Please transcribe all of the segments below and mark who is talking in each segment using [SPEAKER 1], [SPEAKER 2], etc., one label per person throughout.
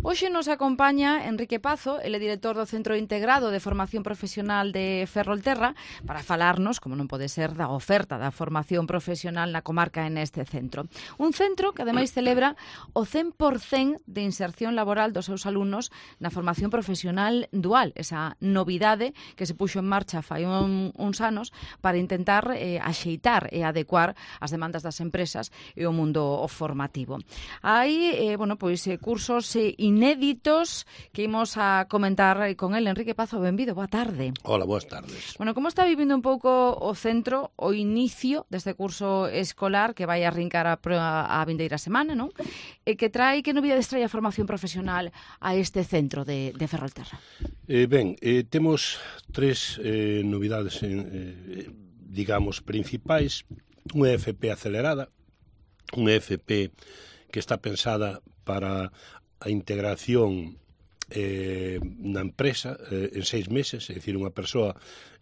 [SPEAKER 1] Hoxe nos acompaña Enrique Pazo, ele é director do Centro Integrado de Formación Profesional de Ferrolterra, para falarnos, como non pode ser, da oferta da formación profesional na comarca en este centro. Un centro que ademais celebra o 100% de inserción laboral dos seus alumnos na formación profesional dual, esa novidade que se puxo en marcha fai uns anos para intentar axeitar e adecuar as demandas das empresas e o mundo formativo. Hai, cursos inéditos que imos a comentar con el. Enrique Pazo, benvido, boa tarde.
[SPEAKER 2] Hola, boas tardes.
[SPEAKER 1] Bueno, como está vivindo un pouco o centro o inicio deste curso escolar que vai arrincar a vindeira semana, non? E que novidades trae a formación profesional a este centro de Ferrolterra?
[SPEAKER 2] Temos tres novidades, digamos, principais. Unha FP acelerada, unha FP que está pensada para a integración na empresa en 6 meses, é dicir, unha persoa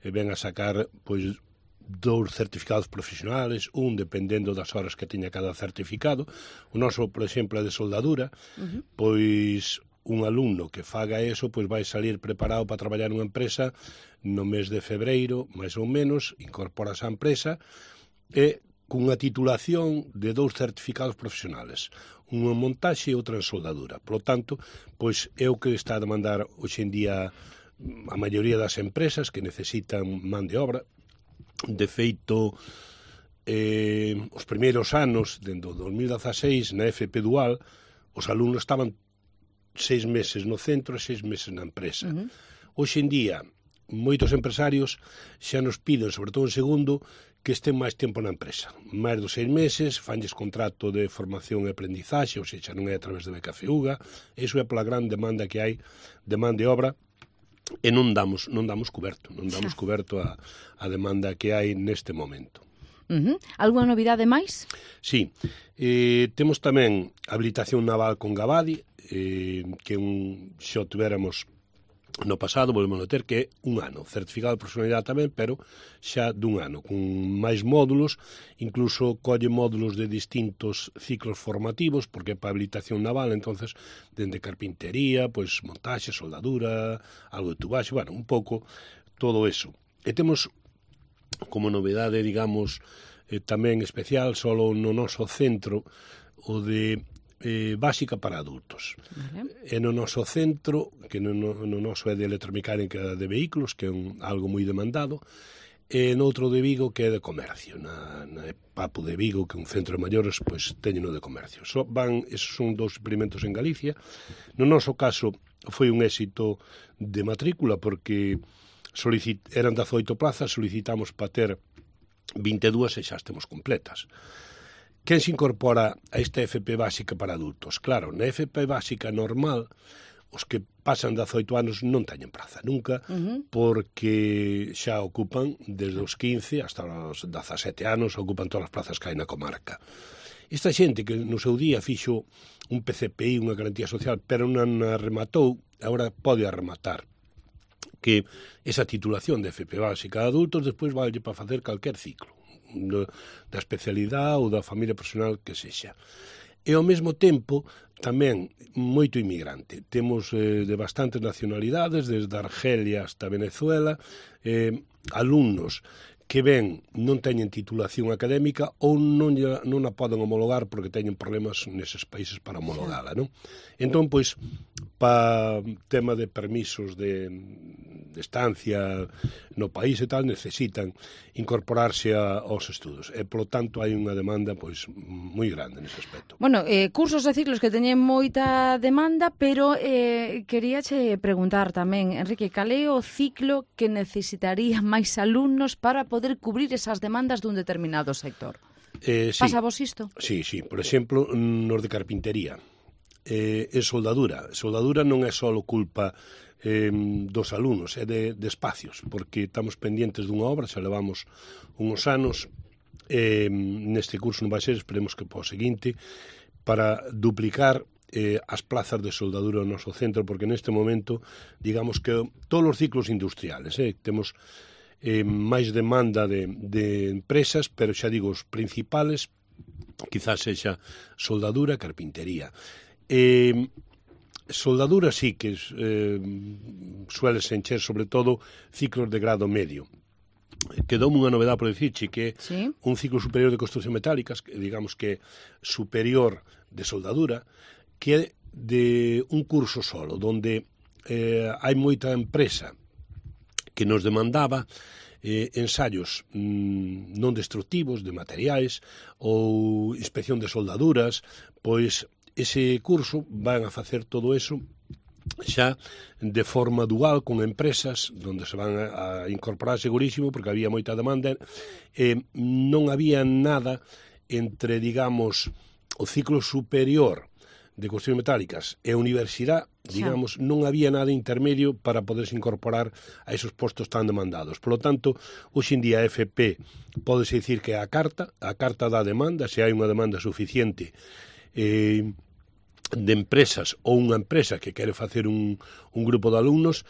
[SPEAKER 2] ven a sacar pois 2 certificados profesionales, un dependendo das horas que teña cada certificado. O noso, por exemplo, é de soldadura, pois un alumno que faga eso pois vai salir preparado para traballar nunha empresa no mes de febreiro, máis ou menos, incorporase á empresa e cunha titulación de 2 certificados profesionales, unha en montaxe e outra en soldadura. Por lo tanto, pois é o que está a demandar hoxe en día a maioría das empresas que necesitan man de obra. De feito, os primeiros anos, dentro do 2016, na FP Dual, os alumnos estaban 6 meses no centro e 6 meses na empresa. Hoxe en día, moitos empresarios xa nos piden, sobre todo en segundo, que estén máis tempo na empresa. Máis dos 6 meses, fanlles contrato de formación e aprendizaxe, ou seja, non é a través de BKFUGA. Iso é pola gran demanda que hai de man de obra, e non damos coberto a demanda que hai neste momento.
[SPEAKER 1] Alguna novidade máis?
[SPEAKER 2] Sí, temos tamén habilitación naval con Gabadi, que xa tuéramos no pasado, volvemos a ter, que é un ano. Certificado de profesionalidade tamén, pero xa dun ano, con máis módulos, incluso colle módulos de distintos ciclos formativos, porque é para habilitación naval, entonces, dende carpintería, pois montaxe, soldadura, algo de tubaxe, bueno, un pouco todo eso. E temos como novedade, digamos, tamén especial, solo no noso centro, o de básica para adultos. E no noso centro, que no noso é de electromecánica de vehículos, que é algo moi demandado, e noutro de Vigo, que é de comercio. Na Papo de Vigo, que é un centro de maiores, pois teñeno de comercio. Esos son 2 experimentos en Galicia. No noso caso, foi un éxito de matrícula, porque eran 18 plazas, solicitamos para ter 22 e xa estemos completas. Quen se incorpora a esta FP básica para adultos? Claro, na FP básica normal, os que pasan 18 anos non teñen praza nunca, porque xa ocupan desde os 15 hasta os 17 anos, ocupan todas as plazas que hai na comarca. Esta xente que no seu día fixo un PCPI, unha garantía social, pero non a rematou, agora pode rematar, que esa titulación de FP básica de adultos despois valle para facer calquer ciclo, da especialidade ou da familia profesional que sexa. E ao mesmo tempo tamén moito inmigrante. Temos de bastantes nacionalidades, desde Argelia hasta Venezuela, alumnos que ben non teñen titulación académica ou non a poden homologar porque teñen problemas neses países para homologala, non? Entón, pois, para tema de permisos de estancia no país e tal, necesitan incorporarse aos estudos. E, polo tanto, hai unha demanda pois moi grande nese aspecto.
[SPEAKER 1] Bueno, cursos e ciclos que teñen moita demanda, pero queríache preguntar tamén, Enrique, cal é o ciclo que necesitaría máis alumnos para poder cubrir esas demandas dun determinado sector?
[SPEAKER 2] Sí.
[SPEAKER 1] Pasa vos isto?
[SPEAKER 2] Sí. Por exemplo, nos de carpintería. E soldadura. Soldadura non é só culpa dos alumnos, é de espacios, porque estamos pendientes dunha obra, xa levamos uns anos, neste curso non vai ser, esperemos que para o seguinte, para duplicar as plazas de soldadura no noso centro, porque neste momento, digamos que todos os ciclos industriales, temos máis demanda de empresas, pero xa digo, os principales, quizás sexa soldadura, carpintería. soldadura sí que suele encher sobre todo ciclos de grado medio. Quedoume unha novedade por dicirche que
[SPEAKER 1] ¿Sí?
[SPEAKER 2] un ciclo superior de construcción metálicas, que digamos que superior de soldadura, que é de un curso solo, donde hai moita empresa que nos demandaba ensaios non destructivos de materiais ou inspección de soldaduras, pois ese curso van a facer todo eso xa de forma dual con empresas onde se van a incorporar segurísimo porque había moita demanda non había nada entre, digamos, o ciclo superior de construcción metálicas e a universidade, digamos, non había nada intermedio para poderse incorporar a esos postos tan demandados. Por lo tanto, hoxe en día a FP pódese dicir que a carta da demanda, se hai unha demanda suficiente de empresas ou unha empresa que quere facer un grupo de alumnos,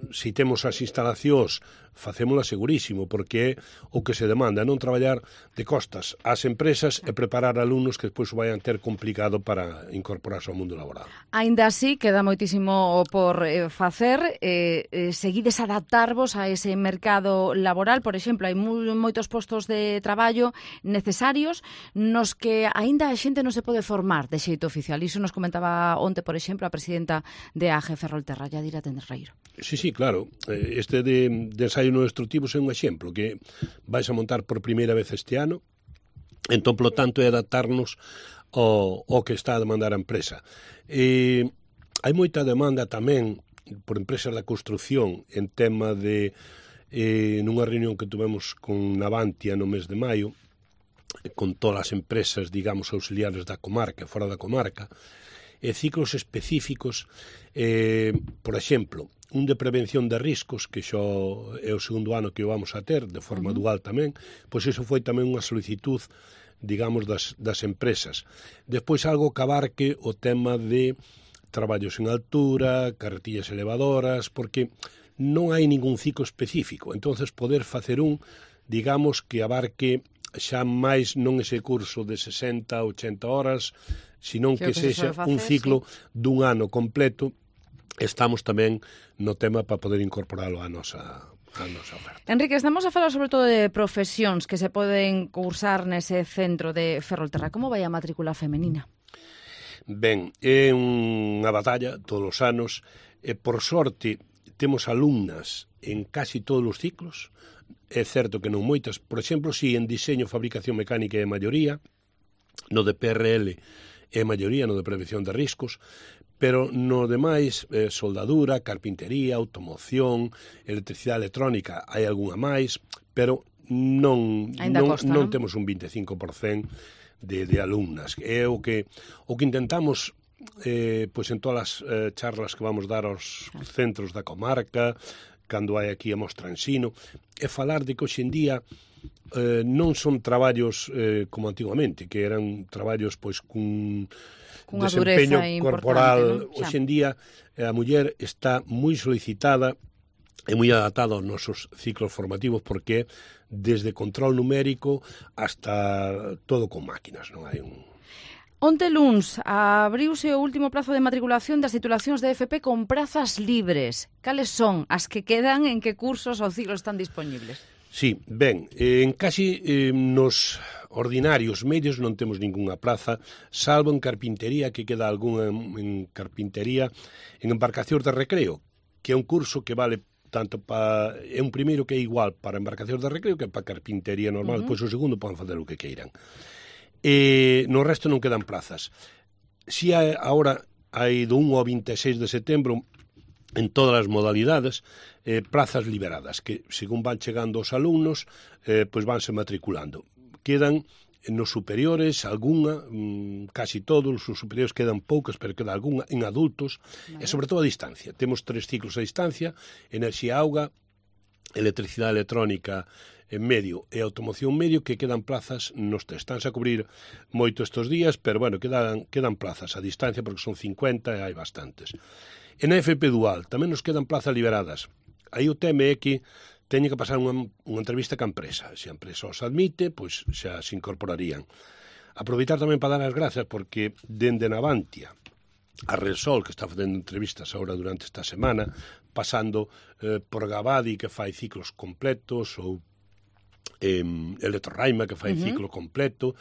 [SPEAKER 2] se temos as instalacións, facémola segurísimo, porque é o que se demanda, non traballar de costas ás empresas e preparar alumnos que despois o vayan ter complicado para incorporarse ao mundo laboral.
[SPEAKER 1] Ainda así, queda moitísimo por facer, seguides adaptarvos a ese mercado laboral, por exemplo, hai moitos postos de traballo necesarios nos que aínda a xente non se pode formar de xeito oficial. Iso nos comentaba onte, por exemplo, a presidenta de AG Ferrolterra, Yadira Tenreiro.
[SPEAKER 2] Sí, claro. Este de ensaio non destructivos é un exemplo que vais a montar por primeira vez este ano. Entón, polo tanto, é adaptarnos ao que está a demandar a empresa. Hai moita demanda tamén por empresas da construción en tema de nunha reunión que tuvemos con Navantia no mes de maio, con todas as empresas, digamos, auxiliares da comarca, fora da comarca, ciclos específicos, por exemplo, un de prevención de riscos, que xo é o segundo ano que o vamos a ter, de forma dual tamén, pois iso foi tamén unha solicitud, digamos, das empresas. Despois algo que abarque o tema de traballos en altura, carretillas elevadoras, porque non hai ningún ciclo específico, entonces poder facer digamos, que abarque xa máis non ese curso de 60, 80 horas, senón que sexa un ciclo dun ano completo. Estamos tamén no tema para poder incorporalo á nosa oferta.
[SPEAKER 1] Enrique, estamos a falar sobre todo de profesións que se poden cursar nese centro de Ferrolterra. Como vai a matrícula femenina?
[SPEAKER 2] Ben, é unha batalla todos os anos. Por sorte, temos alumnas en casi todos os ciclos. É certo que non moitas. Por exemplo, si en diseño, fabricación mecánica é a maioría, no de PRL é a maioría, no de prevención de riscos, pero no demais, soldadura, carpintería, automoción, electricidade electrónica, hai algunha máis, pero non temos un 25% de alumnas. É o que intentamos pois en todas as charlas que vamos dar aos centros da comarca, cando hai aquí a mostra ensino, é falar de que hoxe en día non son traballos como antigamente, que eran traballos pois cun desempeño corporal. Hoxe en día a muller está moi solicitada e moi adaptada aos nosos ciclos formativos, porque desde control numérico hasta todo con máquinas, non hai un...
[SPEAKER 1] Onte luns abriuse o último prazo de matriculación das titulacións de FP con prazas libres. Cales son as que quedan, en que cursos ou ciclos están disponibles?
[SPEAKER 2] Sí, ben, en casi nos ordinarios medios non temos ningunha plaza, salvo en carpintería, que queda algunha en carpintería, en embarcacións de recreo, que é un curso que vale tanto para... É un primeiro que é igual para embarcacións de recreo que para carpintería normal, pois o segundo poden facer o que queiran. No resto non quedan plazas. Si agora hai do 1 ao 26 de setembro en todas as modalidades plazas liberadas que según van chegando os alumnos pois vanse matriculando. Quedan nos superiores algunha, casi todos os superiores quedan poucas, pero queda algunha en adultos, e sobre todo a distancia. Temos 3 ciclos a distancia: enerxía auga, electricidade electrónica en medio e automoción medio, que quedan plazas nos tres. Estánse a cubrir moito estes días, pero bueno, quedan plazas a distancia porque son 50 e hai bastantes. En a FP Dual tamén nos quedan plazas liberadas. Aí o tema é que teñen que pasar unha entrevista ca empresa. Se a empresa os admite, pois xa se incorporarían. Aproveitar tamén para dar as grazas porque dende Navantia a Repsol, que está facendo entrevistas agora durante esta semana, pasando por Gabadi, que fai ciclos completos, ou Electroraima, que fai ciclo completo,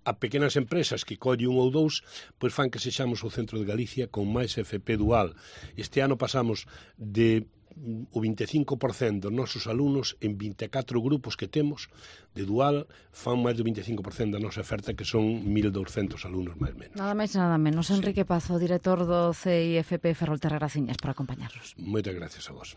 [SPEAKER 2] a pequenas empresas que colle un ou dous, pois fan que sexamos o centro de Galicia con máis FP dual. Este ano pasamos de o 25% dos nosos alumnos en 24 grupos que temos de dual fan máis do 25% da nosa oferta, que son 1.200 alumnos máis menos.
[SPEAKER 1] Nada máis nada menos. Enrique Pazo, director do CIFP Ferrolterra, graciñas por acompañarnos.
[SPEAKER 2] Moitas gracias a vos.